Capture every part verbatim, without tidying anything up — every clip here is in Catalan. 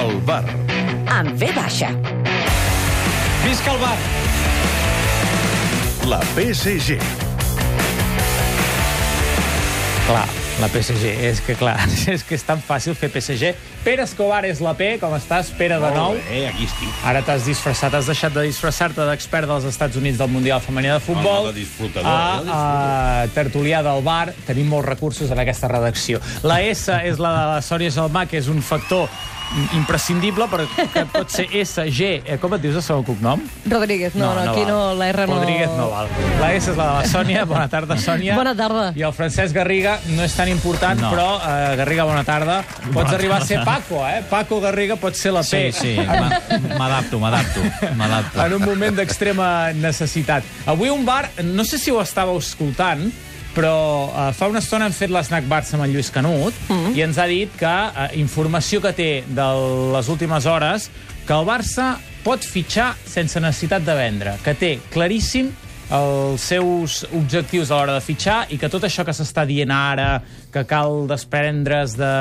El bar. Amb ve baixa. Visca el bar! La P S G. Clar, la P S G, és que clar, és que és tan fàcil fer P S G. Pere Escobar és la P, com estàs? Pere de nou. Molt bé, aquí estic. Ara t'has disfressat, has deixat de disfressar-te d'expert dels Estats Units del Mundial Femení de Futbol. No, no, de disfrutador, a, de disfrutador. a tertulià del bar. Tenim molts recursos en aquesta redacció. La S és la de la Sònia Gelmà, que és un factor imprescindible, perquè pot ser S, G... Eh, com et dius el segon cognom? Rodríguez, no, no, no aquí val. no, la R no... Rodríguez no val. La S és la de la Sònia. Bona tarda, Sònia. Bona tarda. I el Francesc Garriga no és tan important, No. però, eh, Garriga, bona tarda. Pots arribar a ser Paco, eh? Paco Garriga pot ser la P. Sí, sí, m'a- m'adapto, m'adapto, m'adapto. En un moment d'extrema necessitat. Avui un bar, no sé si ho estàveu escoltant, però uh, fa una estona hem fet l'Snack Barça amb en Lluís Canut mm. i ens ha dit que, uh, informació que té de les últimes hores, que el Barça pot fitxar sense necessitat de vendre, que té claríssim els seus objectius a l'hora de fitxar i que tot això que s'està dient ara, que cal desprendre's de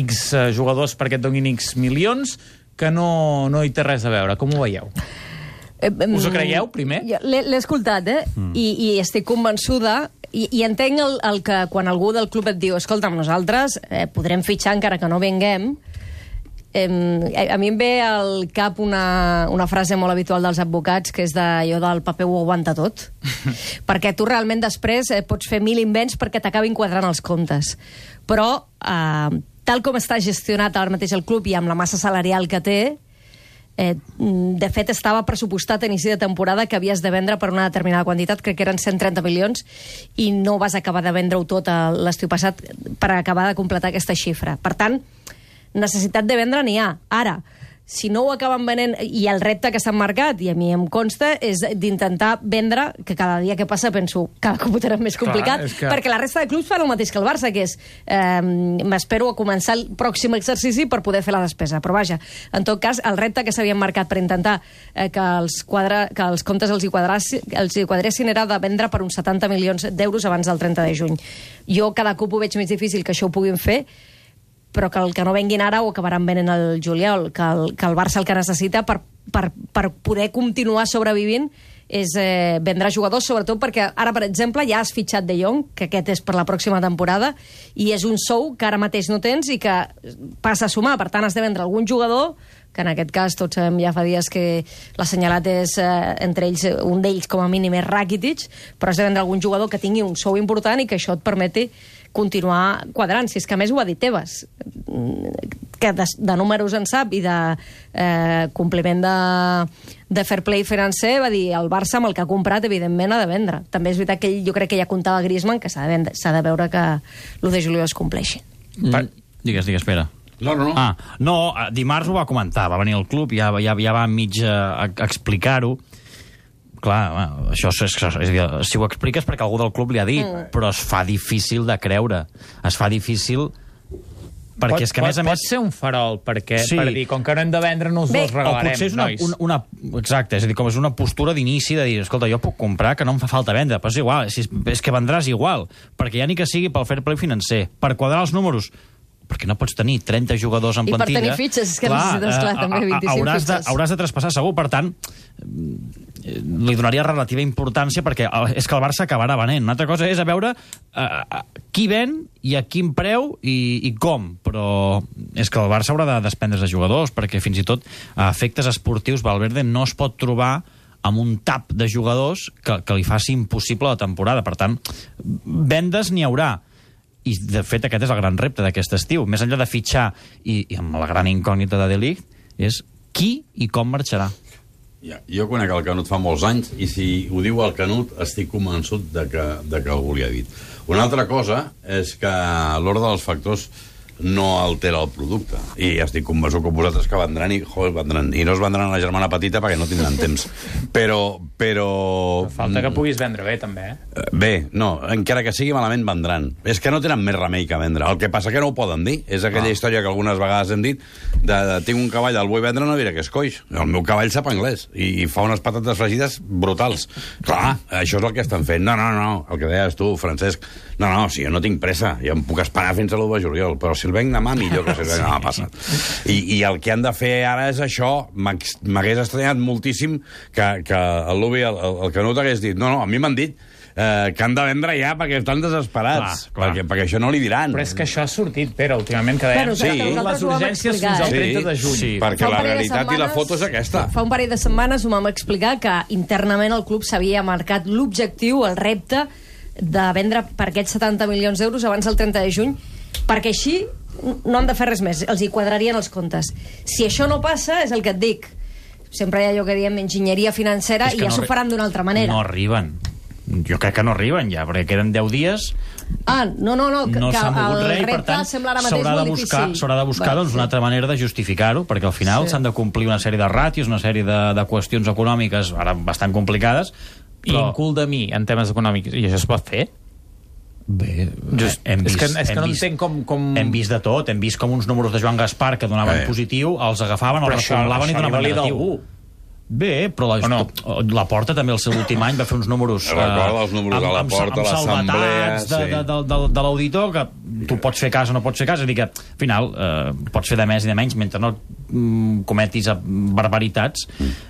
X jugadors perquè et donin X milions, que no, no hi té res a veure. Com ho veieu? Us ho creieu, primer? L'he l'he escoltat, eh? Mm. I, I estic convençuda... I, i entenc el, el que quan algú del club et diu escolta'm, nosaltres eh, podrem fitxar encara que no venguem. Eh, a mi em ve al cap una, una frase molt habitual dels advocats, que és d'allò del paper ho aguanta tot. Perquè tu realment després eh, pots fer mil invents perquè t'acabin quadrant els comptes. Però, eh, tal com està gestionat ara mateix el club i amb la massa salarial que té, Eh, de fet, estava pressupostat a inici de temporada que havies de vendre per una determinada quantitat, crec que eren cent trenta milions, i no vas acabar de vendre-ho tot l'estiu passat per acabar de completar aquesta xifra. Per tant, necessitat de vendre n'hi ha. Ara, si no ho acaben venent, i el repte que s'han marcat, i a mi em consta, és d'intentar vendre, que cada dia que passa penso cada cop ho tenen més complicat, Clar, que... perquè la resta de clubs fan el mateix que el Barça, que és eh, m'espero a començar el pròxim exercici per poder fer la despesa. Però vaja, en tot cas, el repte que s'havien marcat per intentar eh, que, els quadra, que els comptes els hi, quadrassi, els hi quadressin era de vendre per uns setanta milions d'euros abans del trenta de juny. Jo cada cop ho veig més difícil que això ho puguin fer, però que el que no venguin ara ho acabaran venent el juliol, que el, que el Barça el que necessita per, per, per poder continuar sobrevivint és eh, vendre jugadors, sobretot perquè ara, per exemple, ja has fitxat De Jong, que aquest és per la pròxima temporada, i és un sou que ara mateix no tens i que passa a sumar. Per tant, has de vendre algun jugador, que en aquest cas tots sabem ja fa dies que l'assenyalat és, eh, entre ells, un d'ells com a mínim és Rakitic, però has de vendre algun jugador que tingui un sou important i que això et permeti continuar quadrant. Si és que a més ho ha dit Tebas, que de, de números en sap i de eh, compliment de, de fair play financer, va dir el Barça amb el que ha comprat evidentment ha de vendre. També és veritat que ell, jo crec que ja comptava Griezmann, que s'ha de, vendre, s'ha de veure que l'u de juliol es compleixi. Mm. Digues, digues, espera. No, no, no. Ah, no, dimarts ho va comentar, va venir al club, ja, ja, ja va mig a, a explicar-ho. Clar, bueno, això és, és, és, si ho expliques perquè algú del club li ha dit, mm. però es fa difícil de creure. Es fa difícil perquè pot, és que, a pot, més a més... pot ser un farol, perquè, Sí. per dir, com que no hem de vendre, no us Bé, els regalarem, o potser és una, nois. una, una... Exacte, és a dir, com és una postura d'inici de dir, escolta, jo puc comprar, que no em fa falta vendre, però és igual, és, és que vendràs igual, perquè ja ni que sigui pel fair play financer, per quadrar els números, perquè no pots tenir trenta jugadors en I per plantilla. tenir fitxes, és que necessites, clar, també vint-i-cinc hauràs de, fitxes. hauràs de traspassar segur, per tant, li donaria relativa importància perquè és que el Barça acabarà venent. Una altra cosa és a veure uh, qui ven i a quin preu i, i com, però és que el Barça haurà de desprendre's de jugadors perquè fins i tot a efectes esportius Valverde no es pot trobar amb un tap de jugadors que, que li faci impossible la temporada. Per tant, vendes n'hi haurà. I, de fet, aquest és el gran repte d'aquest estiu. Més enllà de fitxar, i, i amb la gran incògnita de De Ligt, és qui i com marxarà. Ja, jo conec el Canut fa molts anys i si ho diu el Canut estic convençut de que, de que algú li ha dit. Una altra cosa és que l'ordre dels factors no altera el producte. I estic convençut que vosaltres que vendran i, joder, vendran. I no es vendran a la germana petita perquè no tindran temps. Però... però... Falta que puguis vendre bé, també, eh? Bé, no, encara que sigui malament vendran. És que no tenen més remei que vendre. El que passa que no ho poden dir. És aquella ah. història que algunes vegades hem dit de, de tinc un cavall, el vull vendre, no diré que és coix. El meu cavall sap anglès i, i fa unes patates fregides brutals. Clar, això és el que estan fent. No, no, no, el que deies tu, Francesc. No, no, si jo no tinc pressa, jo em puc esperar fins a l'u de juliol, però si el venc demà, millor que si el venc demà passat. I, I el que han de fer ara és això. M'hagués estranyat moltíssim que, que el Lubi, el, el Canut, hagués dit no, no, a mi m'han dit eh, que han de vendre ja perquè estan desesperats, clar, clar. Perquè, perquè això no li diran. Però és que això ha sortit, Pere, últimament, que deien sí. les urgències fins al trenta de juny. Sí, perquè la realitat i la foto és aquesta. Fa un parell de setmanes ho vam explicar que internament el club s'havia marcat l'objectiu, el repte, de vendre per aquests setanta milions d'euros abans del trenta de juny, perquè així no han de fer res més, els hi quadrarien els comptes. Si això no passa, és el que et dic, sempre hi ha allò que diem enginyeria financera i ja s'ho faran d'una altra manera. No arriben. Jo crec que no arriben ja, perquè queden deu dies... Ah, no, no, no, que, no que el rei, per tant, sembla ara mateix s'haurà de molt buscar, difícil. S'haurà de buscar doncs, una altra manera de justificar-ho, perquè al final Sí. s'han de complir una sèrie de ràtios, una sèrie de, de qüestions econòmiques ara bastant complicades. I Però... incul de mi, en temes econòmics. I això es pot fer? Bé, Just, hem és vist, que, és que hem no vist, entenc com, com... Hem vist de tot, hem vist com uns números de Joan Gaspar que donaven Eh. positiu, els agafaven, Però els això, reformulaven i això li donaven valida negatiu. algú. Bé, però la, no? la Porta també el seu últim any va fer uns números... Recorda els números de la Porta, l'Assemblea... de, de, de, de, de l'auditor, que tu pots fer cas o no pots fer cas, és a dir que, al final, eh, pots fer de més i de menys, mentre no mm, cometis barbaritats,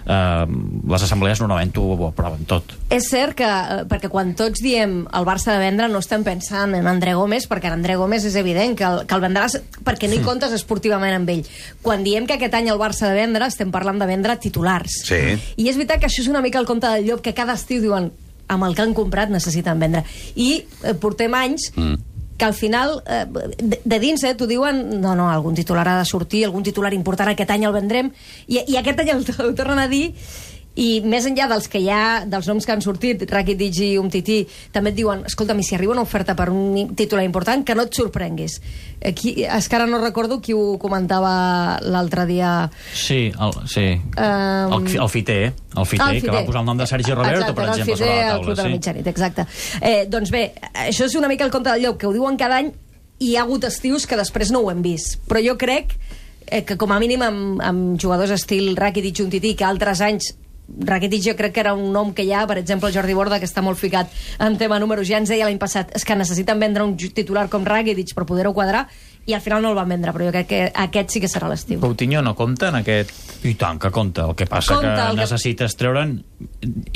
eh, les assemblees normalment ho aproven tot. És cert que, eh, perquè quan tots diem el Barça de vendre, no estem pensant en André Gómez, perquè en André Gómez és evident que el, que el vendràs perquè no hi comptes esportivament amb ell. Quan diem que aquest any el Barça de vendre, estem parlant de vendre titulars. Sí. I és veritat que això és una mica el conte del llop, que cada estiu diuen amb el que han comprat necessiten vendre. I eh, portem anys mm. que al final, eh, de, de dins, eh, t'ho diuen, no, no, algun titular ha de sortir, algun titular important aquest any el vendrem, i, i aquest any el, el tornen a dir, i més enllà dels que hi ha, dels noms que han sortit, Rakitic i Umtiti, també et diuen, escolta'm, i si arriba una oferta per un titular important, que no et sorprenguis. Aquí, és que ara no recordo qui ho comentava l'altre dia. Sí, el, sí. Um, el, el Fiter, el Fiter, el que va posar el nom de Sergi Roberto, exacte, per exemple, el Fiter, sobre la el taula. Club de la Sí. Mitjanit, exacte. Eh, doncs bé, això és una mica el conte del llop, que ho diuen cada any, i hi ha hagut estius que després no ho hem vist. Però jo crec eh, que com a mínim amb, amb jugadors estil Rakitic, Umtiti, que altres anys Rakitic jo crec que era un nom que hi ha, per exemple, Jordi Borda, que està molt ficat en tema números, ja ens deia l'any passat, és que necessiten vendre un titular com Rakitic per poder-ho quadrar, i al final no el van vendre, però jo crec que aquest sí que serà l'estiu. Coutinho no compta en aquest... I tant que compta, el que passa Compta, que el que- necessites treure'n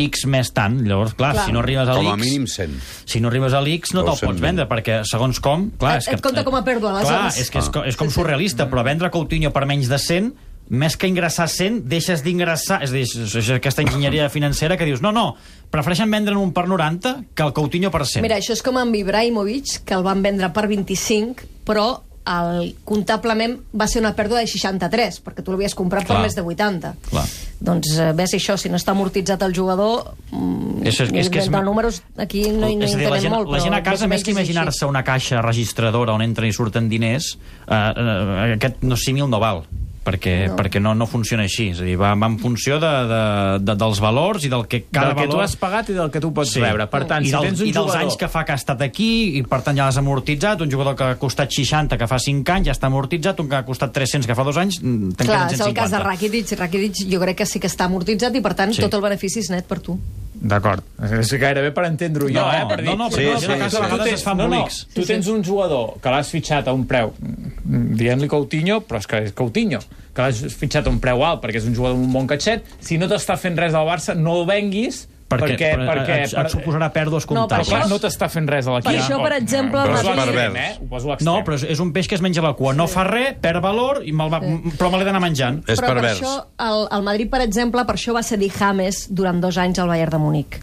X més tant, llavors, clar, Clar. si no arribes a Com a l'X... mínim cent. Si no arribes a l'X no O te'l cent pots vendre, perquè segons com... Clar, Et- és que, et compta com a pèrdua, Clar, aleshores. és que és, co- és com surrealista, però vendre Coutinho per menys de cent, més que ingressar cent, deixes d'ingressar... És a dir, és- és aquesta enginyeria financera que dius, no, no, prefereixen vendre'n un per noranta que el Coutinho per cent. Mira, això és com amb Ibrahimovic, que el van vendre per vint-i-cinc, però el, comptablement va ser una pèrdua de seixanta-tres, perquè tu l'havies comprat Clar. per més de vuitanta. Clar. Doncs eh, ves això, si no està amortitzat el jugador, mm, És- és- és que és de me- números aquí no, hi- no és hi a dir, la entenem gent, molt. la però gent a casa, més o més que menys és així. imaginar-se una caixa registradora on entren i surten diners, eh, eh, aquest no símil no val, perquè no, perquè no, no funciona així. És a dir, va, va en funció de, de, de, dels valors i del que cada del que valor... tu has pagat i del que tu pots Sí. rebre. Per tant, I, si del, tens un i dels jugador... anys que fa que ha estat aquí, i per tant ja l'has amortitzat, un jugador que ha costat seixanta, que fa cinc anys, ja està amortitzat, un que ha costat tres-cents, que fa dos anys, mm, te'n Clar, queden és cent el cas de cinquanta. Rakitic. Rakitic jo crec que sí que està amortitzat i, per tant, Sí. tot el benefici és net per tu. D'acord. És gairebé per entendre-ho jo, No, eh? Per dir, no, no, però no, sí, no, sí, tu sí. tens- a vegades es fa no, no, embolics. tu tens un jugador que l'has fitxat a un preu, mm, dient-li Coutinho, però és que és Coutinho, que l'has fitxat a un preu alt perquè és un jugador amb un bon catxet, si no t'està fent res al Barça, no el venguis Perquè, perquè, perquè, perquè, et, et suposarà pèrdues No, per Però comptables. clar, això- no t'està fent res a l'equip. Per això, per exemple, Però és Madrid- l'extrem, eh? Ho poso a l'extrem. No, però és, és un peix que es menja la cua. No fa res, perd valor, i me'l va, però me l'he d'anar menjant. És Però pervers. per això, el, el Madrid, per exemple, per això va cedir James durant dos anys al Bayern de Múnich.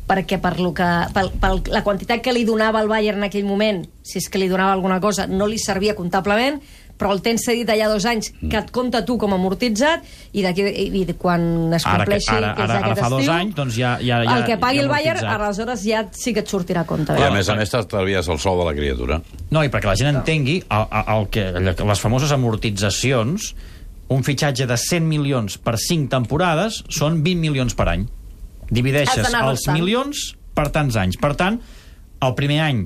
Perquè per, lo que, per, per la quantitat que li donava el Bayern en aquell moment, si és que li donava alguna cosa, no li servia comptablement, però el tens cedit allà dos anys, que et compta tu com a amortitzat, i d'aquí i de quan es Ara, que, compleixi, ara, que és ara, ara aquest fa dos estiu, anys, doncs ja... ja, ja el que pagui ja el Bayern, amortitzat. aleshores ja sí que et sortirà a compte. I a Eh? més a més t'estalvies el sou de la criatura. No, i perquè la gent entengui el, el, el que, les famoses amortitzacions, un fitxatge de cent milions per cinc temporades són vint milions per any. Divideixes Has d'anar els restant. milions per tants anys. Per tant, el primer any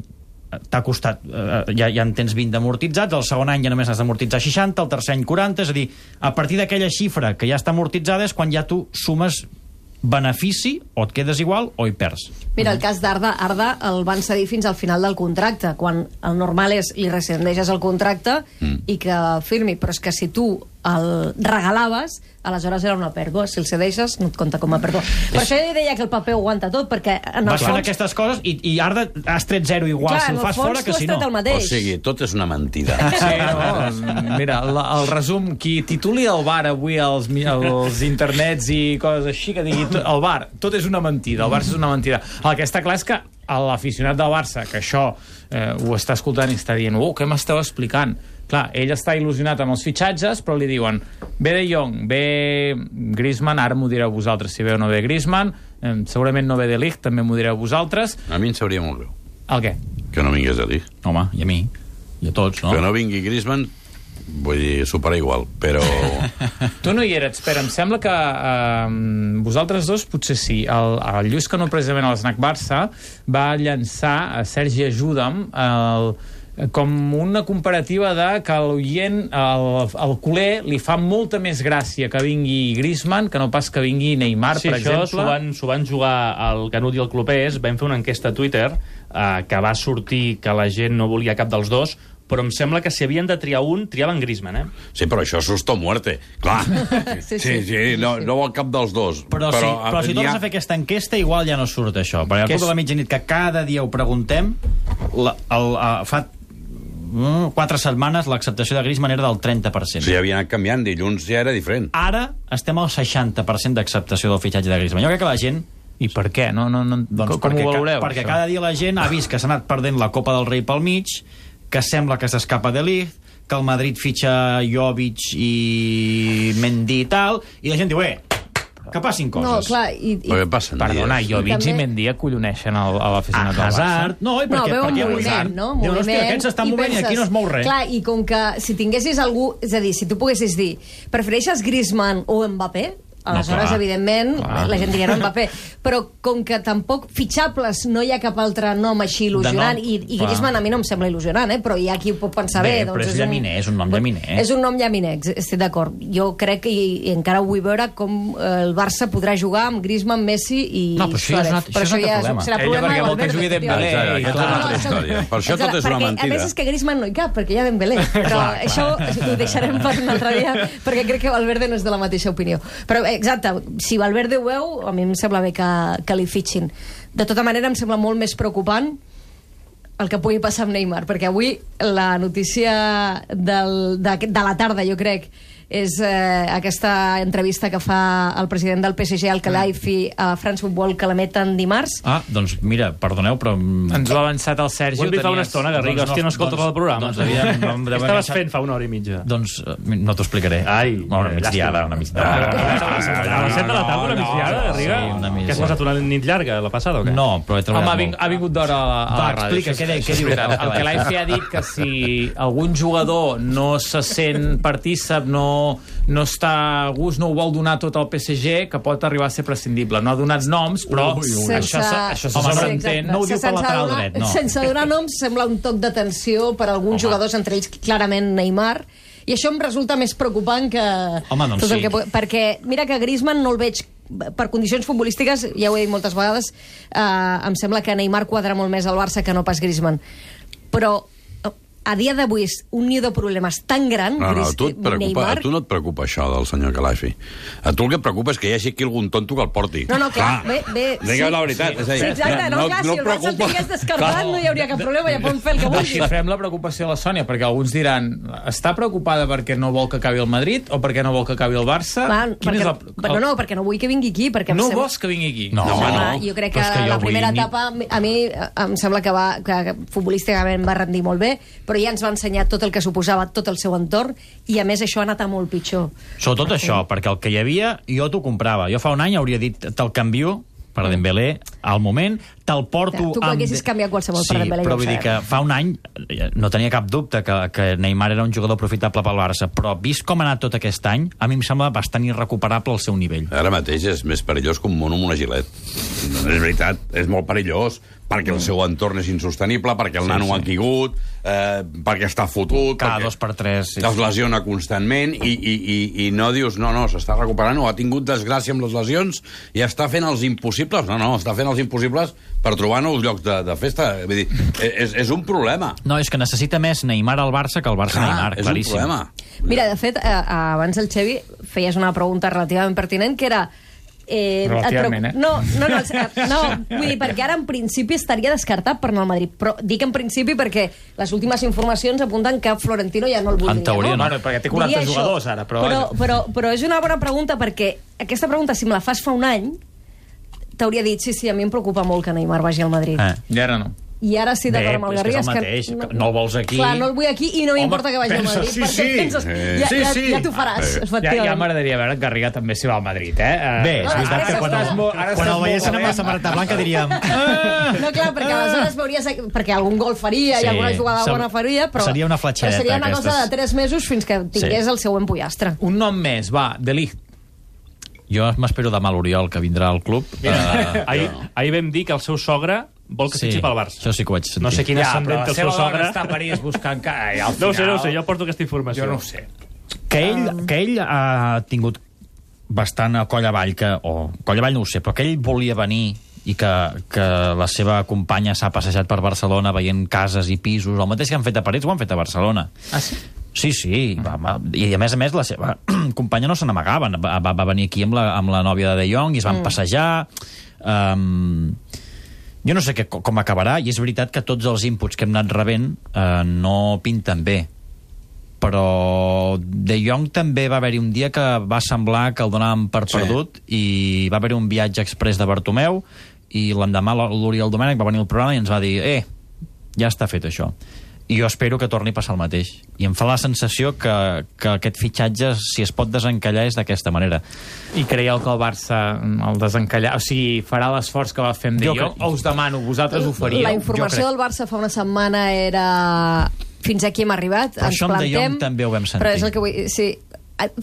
t'ha costat, eh, ja, ja en tens vint d'amortitzats, el segon any ja només has d'amortitzar seixanta, el tercer any quaranta, és a dir, a partir d'aquella xifra que ja està amortitzada és quan ja tu sumes benefici, o et quedes igual o hi perds. Mira, el cas d'Arda, Arda el van cedir fins al final del contracte, quan el normal és li rescindeixes el contracte mm. i que firmi, però és que si tu el regalaves, aleshores era una pèrdua. Si el cedeixes, no et compta com a pèrdua. Per això jo deia que el paper ho aguanta tot, perquè en el Vas fent fons... aquestes coses i, i Arda has tret zero igual, Clar, si el fas fora que si no. el mateix. O sigui, tot és una mentida. Sí, no? Mira, el, el resum, qui tituli el bar avui als, als internets i coses així, que digui tot, el bar, tot és una mentida, el Barça és una mentida. El que està clar és que l'aficionat del Barça, que això eh, ho està escoltant i està dient, oh, què m'esteu explicant? Clar, ell està il·lusionat amb els fitxatges, però li diuen, ve De Jong, ve Griezmann, ara m'ho direu vosaltres si ve o no ve Griezmann, eh, segurament no ve De Ligt, també m'ho direu vosaltres. A mi em sabria molt greu. El què? Que no vingués De Ligt. Home, i a mi, i a tots, no? Que no vingui Griezmann, vull dir, supera igual, però... Tu no hi eres, però em sembla que eh, vosaltres dos potser sí. El, el Lluís Canut, precisament a l'Snac Barça, va llançar a Sergi Ajuda'm el, com una comparativa de que a l'oient, al, al culer, li fa molta més gràcia que vingui Griezmann que no pas que vingui Neymar, sí, per exemple. Sí, això s'ho van, s'ho van jugar al Canut i el Clopés. Vam fer una enquesta a Twitter eh, que va sortir que la gent no volia cap dels dos, però em sembla que si havien de triar un, triaven Griezmann, eh? Sí, però això és susto o muerte. Clar. Sí, sí. Sí, sí, no, no vol cap dels dos. Però, però, sí, però si tornes ha... a fer aquesta enquesta, igual ja no surt això. Perquè al Que club de la mitjanit, que cada dia ho preguntem, la, el, uh, fa mm, quatre setmanes l'acceptació de Griezmann era del trenta per cent. Sí, havia anat canviant, dilluns ja era diferent. Ara estem al seixanta per cent d'acceptació del fitxatge de Griezmann. Jo crec que la gent... I per què? No, no, no, Doncs com perquè, ho valoreu, perquè això? cada dia la gent ha vist que s'ha anat perdent la Copa del Rei pel mig, que sembla que s'escapa De Ligt, que el Madrid fitxa Jovic i Mendy i tal, i la gent diu, eh, que passin coses. No, clar, i... i... Però què passa? Perdona, dies? Jovic També- i Mendy acolloneixen el, a Ah, l'aficionat del Barça. Hazard... No, i No, perquè, veu un perquè moviment, Hazard... no? Diu, Moviment, hòstia, aquest s'està i movent i aquí no es mou res. Clar, i com que si tinguessis algú... És a dir, si tu poguessis dir, prefereixes Griezmann o Mbappé? Aleshores, clar, evidentment, clar. la gent diria no Mbappé. Però com que tampoc fitxables no hi ha cap altre nom així il·lusionant, De nom, i, i clar. Griezmann a mi no em sembla il·lusionant, eh? Però hi ha qui ho pot pensar bé. Bé, doncs però és llaminer, és un nom llaminer. És un nom llaminer, estic d'acord. Jo crec que i, i encara vull veure com eh, el Barça podrà jugar amb Griezmann, Messi i No, però això ja és Suárez. un altre- Però això és un altre ja problema. serà Ella problema perquè de vol que Valverde, jugui Dembélé, efectivament. i Aquesta és una altra No, història. Per això tot és una perquè, mentida. A més, és que Griezmann no hi cap, perquè hi ha Dembélé. Però això ho deixarem per un altre dia, perquè crec que Valverde no és de la mateixa opinió. Però, exacte, si Valverde ho veu, a mi em sembla bé que, que li fitxin. De tota manera, em sembla molt més preocupant el que pugui passar amb Neymar, perquè avui la notícia del, de, de la tarda, jo crec, és eh, aquesta entrevista que fa el president del P S G, al Khelaifi, a France Football, que l'emeten dimarts. Ah, doncs mira, perdoneu, però... Ens ho ha avançat el Sergi. Ho hem dit fa una tenies- estona, Garriga. Doncs no- Hòstia, no escoltes doncs- el programa. doncs devia- no em Què deu estaves haver- fent fa una hora i mitja? Doncs eh, no t'ho explicaré. Ai, una migdiada, llàstima. una migdiada. A les set de la tarda, una migdiada, Garriga? Sí, una Que has migdiada. passat una nit llarga, la passada, o què? No, però he treballat Home, ha, molt. ving, ha vingut d'hora a, la- a Va, la ràdio. explica, què de- què diu Espera, el el Khelaifi ha dit que si algun jugador no se sent partícip, no, no està a gust, no ho vol donar tot al P S G, que pot arribar a ser prescindible. No ha donat noms, però Ui, ui, ui. això, se- això se Home, no, sobreentén. no ho diu per Sense lateral donar- dret, no. Sense donar noms, sembla un toc d'atenció per a alguns Home. jugadors, entre ells clarament Neymar, i això em resulta més preocupant que... Home, doncs tot el sí. que... pu- Perquè mira que Griezmann no el veig per condicions futbolístiques, ja ho he dit moltes vegades, eh, em sembla que Neymar quadra molt més al Barça que no pas Griezmann. Però a dia d'avui és un niu de problemes tan gran, No, no, a Gris- tu, et preocupa, Neymar... a tu no et preocupa això del senyor Khelaifi. A tu el que et preocupa és que hi hagi aquí algun tonto que el porti. No, no, clar, bé, bé, Digueu sí. la veritat. Sí, És a dir, sí, exacte, no, clar, si el Barça el preocupa- tingués descartat Clar. no hi hauria cap problema, ja poden fer el que vulguin. Desxifrem la preocupació de la Sònia, perquè alguns diran, està preocupada perquè no vol que acabi el Madrid o perquè no vol que acabi el Barça? Va, Quin perquè, és el... però no, perquè no vull que vingui aquí. Perquè em No sembla- vols que vingui aquí? No, No, home, no. Home, jo crec Però que, és que jo la primera vull ni- etapa a mi em sembla que, va, que futbolísticament va rendir molt bé, però ja ens va ensenyar tot el que suposava tot el seu entorn, i a més això ha anat a molt pitjor. Sobretot això, perquè el que hi havia jo t'ho comprava. Jo fa un any hauria dit te'l canvio per Dembélé al moment, te'l porto... Tu haguessis canviat qualsevol sí, per Dembélé. però vull dir que fa un any no tenia cap dubte que, que Neymar era un jugador aprofitable pel Barça, però vist com ha anat tot aquest any, a mi em sembla bastant irrecuperable el seu nivell. Ara mateix és més perillós que un mono amb una gilet. No, és veritat, és molt perillós, perquè el seu entorn és insostenible, perquè el Sí, nano sí. ha caigut, eh, perquè està fotut, Cada perquè dos per tres, sí, es sí. lesiona constantment i, i, i, i no dius, no, no, s'està recuperant o ha tingut desgràcia amb les lesions i està fent els impossibles. No, no, està fent els impossibles per trobar nous llocs de, de festa. Vull dir, és, és un problema. No, és que necessita més Neymar al Barça que el Barça Clar, Neymar, és claríssim. un problema. Mira, de fet, eh, abans el Xevi feies una pregunta relativament pertinent, que era... Eh, Relativament, et eh? No, no, no, no, vull dir, perquè ara en principi estaria descartat per anar al Madrid, però dic en principi perquè les últimes informacions apunten que Florentino ja no el voldria. En teoria, no? no. Bueno, perquè té quaranta Diria jugadors això. ara, però... Però, però, però és una bona pregunta perquè aquesta pregunta, si me la fas fa un any, t'hauria dit, sí, sí, a mi em preocupa molt que Neymar vagi al Madrid. Eh. I ara no. I ara sí, d'acord amb el Bé, és que és Garrigues... el mateix, que no el vols aquí. Clar, no el vull aquí i no Home, m'importa que vagi al pensa, Madrid. sí, perquè sí. penses, Eh. ja, Sí, ja, sí. ja t'ho faràs, Eh. Ja, efectivament. ja m'agradaria veure que Garriga també s'hi va al Madrid, eh? Uh, Bé, és No, veritat ara que quan, estàs molt- ara quan estàs el veiessin molt amb la bé. samarreta blanca diríem... No, clar, perquè aleshores veuries... Perquè algun gol faria Sí. i alguna jugada Sem- bona faria, però... seria una fletxadeta, però seria una aquestes. cosa de tres mesos fins que tingués Sí. el següent pollastre. Un nom més, va, De Ligt. Jo m'espero demà l'Oriol, que vindrà al club. Uh, Ahir, ahir vam dir que el seu sogre vol que sí, fitxi pel Barça. això sí que ho vaig sentir. No sé quin Ja, ascendent però té la el seu seva dona sogre. està a París buscant... Ca... I al No ho sé, no ho final- sé, jo porto aquesta informació. Jo no ho sé. Que ell, que ell ha tingut bastant a coll avall, que, o coll avall no ho sé, però que ell volia venir i que, que la seva companya s'ha passejat per Barcelona veient cases i pisos, el mateix que han fet a París ho han fet a Barcelona. Ah, sí? Sí, sí, va, va, i a més a més la seva companya no se n'amagava, va, va, va venir aquí amb la, amb la nòvia de De Jong i es van mm. passejar. Um, jo no sé que, com acabarà, i és veritat que tots els inputs que hem anat rebent uh, no pinten bé, però De Jong també va haver-hi un dia que va semblar que el donàvem per Sí. perdut i va haver-hi un viatge express de Bartomeu i l'endemà l'Oriol Domènech va venir al programa i ens va dir eh, ja està fet això. I jo espero que torni a passar el mateix. I em fa la sensació que, que aquest fitxatge, si es pot desencallar, és d'aquesta manera. I creieu que el Barça el desencallar... O sigui, farà l'esforç que va fer amb De Jo Jong? crec- O us demano, vosaltres ho faríeu? La informació crec. del Barça fa una setmana era... Fins aquí hem arribat, Però ens això amb De plantem... Jong també ho vam sentir. Però és el que vull... Sí,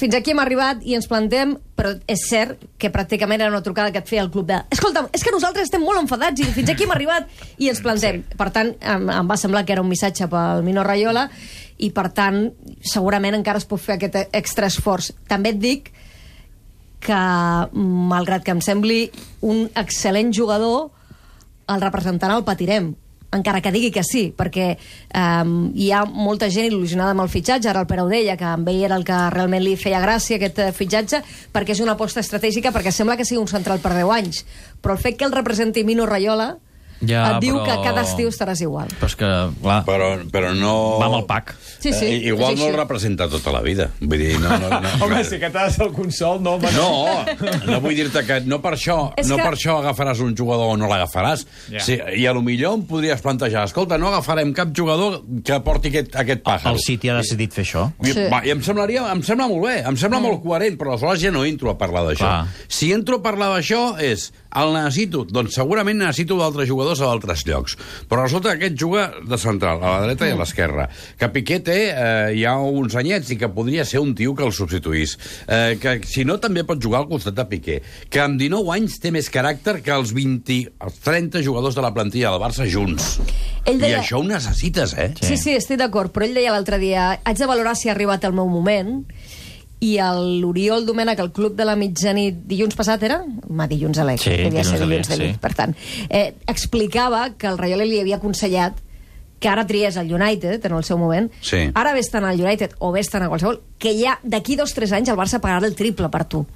fins aquí hem arribat i ens plantem, però és cert que pràcticament era una trucada que et feia el club de escolta'm, és que nosaltres estem molt enfadats i fins aquí hem arribat i ens plantem. Sí. Per tant, em, em va semblar que era un missatge pel Mino Raiola i, per tant, segurament encara es pot fer aquest extra esforç. També et dic que, malgrat que em sembli un excel·lent jugador, el representant el patirem, encara que digui que sí, perquè um, hi ha molta gent il·lusionada amb el fitxatge. Ara el Pere ho deia, que amb ell era el que realment li feia gràcia, aquest uh, fitxatge, perquè és una aposta estratègica, perquè sembla que sigui un central per deu anys. Però el fet que el representi Mino Raiola Ja, et diu però- que cada estiu estaràs igual. Però és que, clar, Però, però no... va amb el pack. Sí, sí, Eh, igual és no així. el representa tota la vida. Vull dir, no... no, no Home, si aquest ha de ser el consol, no, home, No, no vull dir-te que no per això És no que- per això agafaràs un jugador o no l'agafaràs. Ja. Sí, I a lo millor em podries plantejar, escolta, no agafarem cap jugador que porti aquest, aquest pàjaro. El City ha decidit fer això. I, Sí. va, I em semblaria, em sembla molt bé, em sembla mm. molt coherent, però aleshores ja no entro a parlar d'això. Clar. Si entro a parlar d'això és, el necessito, doncs segurament necessito d'altres jugadors a d'altres llocs. Però resulta que aquest juga de central, a la dreta i a l'esquerra. Que Piqué té eh, ja uns anyets i que podria ser un tio que el substituís. Eh, que si no també pot jugar al costat de Piqué. Que amb dinou anys té més caràcter que els vint, els trenta jugadors de la plantilla del Barça junts. Ell deia- I això ho necessites, eh? Sí, sí, estic d'acord, però ell deia l'altre dia haig de valorar si ha arribat el meu moment, i l'Oriol Domènech, el club de la mitjanit, dilluns passat era? Ma, dilluns a l'E C, Sí, devia ser dilluns a l'E C, dilluns de nit, sí. per tant. Eh, explicava que el Raiola li havia aconsellat que ara tries el United en el seu moment, Sí. ara vés-te'n al United o vés-te'n a qualsevol, que ja d'aquí dos o tres anys el Barça pagarà el triple per tu.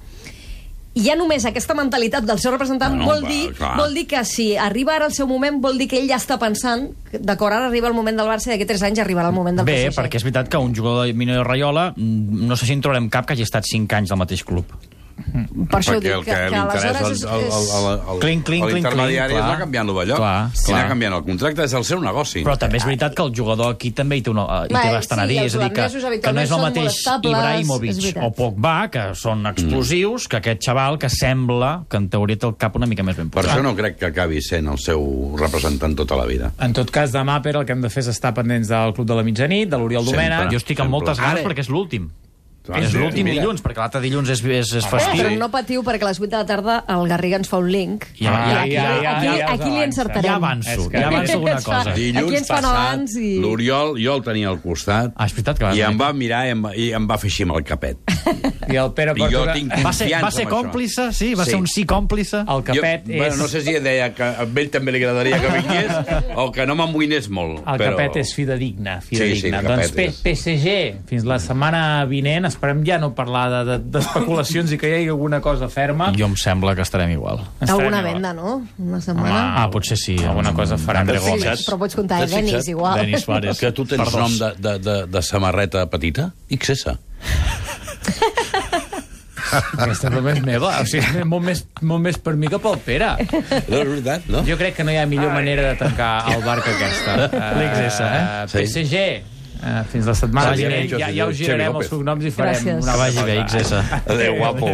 I ja només aquesta mentalitat del seu representant Bueno, vol, va, dir, clar. vol dir que si arriba ara el seu moment, vol dir que ell ja està pensant que, d'acord, ara arriba el moment del Barça i d'aquí tres anys arribarà el moment del Bé, P S G. perquè és veritat que un jugador de Mino Raiola, mm, no sé si en trobarem cap que hagi estat cinc anys al mateix club. Per això ho Perquè dic, el que, que, que li interessa aleshores el, el, el, el, el, Clinc, clinc, clinc, l'intermediari clinc, és clar. anar canviant l'ovellot. Clar, Si clar. anar canviant el contracte és el seu negoci. Però també és veritat que el jugador aquí també hi té, una, hi té Bé, bastant sí, a dir. els És a dir, que, holandesos que no habitualment és el són mateix molt estables, és Ibrahimovic veritat. o Pogba, que són explosius, que aquest xaval que sembla que en teoria té el cap una mica més ben Per posat. això no crec que acabi sent el seu representant tota la vida. En tot cas, demà, Pere, el que hem de fer és estar pendents del Club de la Mitjanit, de l'Oriol Sempre. Domènech. Jo estic amb moltes Sempre. ganes perquè és l'últim. Clar, És sí, l'últim mira. dilluns, perquè l'altre dilluns és, és, és Eh, festiu. però no patiu, perquè a les vuit de la tarda el Garriga ens fa un link. Ja, ja, I aquí, ja, ja, aquí, ja us aquí li avança. encertarem. Ja avanço, És que- ja avanço alguna Ens fa- cosa. Aquí Dilluns ens fan passat, abans i- l'Oriol, jo el tenia al costat, Ah, és veritat que vas i em dir. va mirar i em va, i em va fer així amb el capet. I el Pere I jo Portugal... tinc Va ser, confiança va ser en això. còmplice? Sí, va Sí. ser un sí còmplice? El capet jo, és... Bueno, no sé si deia que a ell també li agradaria que vingués o que no m'amoïnés molt. El però... capet és fidedigne, Sí, fidedigne. sí, el doncs capet P és. P S G, fins la setmana vinent, esperem ja no parlar de- de- d'especulacions i que hi hagi alguna cosa ferma. Jo em sembla que estarem igual. Estarem Alguna igual. venda, no? Una setmana. Ah, potser sí. Alguna cosa farà. André T'has Gómez. fixat? Però pots comptar, eh, T'has fixat? Denis, igual. Denis Suárez. Que tu tens Per nom dos. de, de, de, de samarreta petita? X S. Aquesta broma és meva. O sigui, és molt més, molt més per mi que pel Pere. No, és veritat, no? Jo crec que no hi ha millor manera de tancar el bar que aquesta. L'X S, eh? P S G, uh, fins la setmana Vagi bé, vinent. Ja, ja us Xavi girarem López. els cognoms i farem Gràcies. una Que vagi bé, cosa. X S. Adéu, guapo.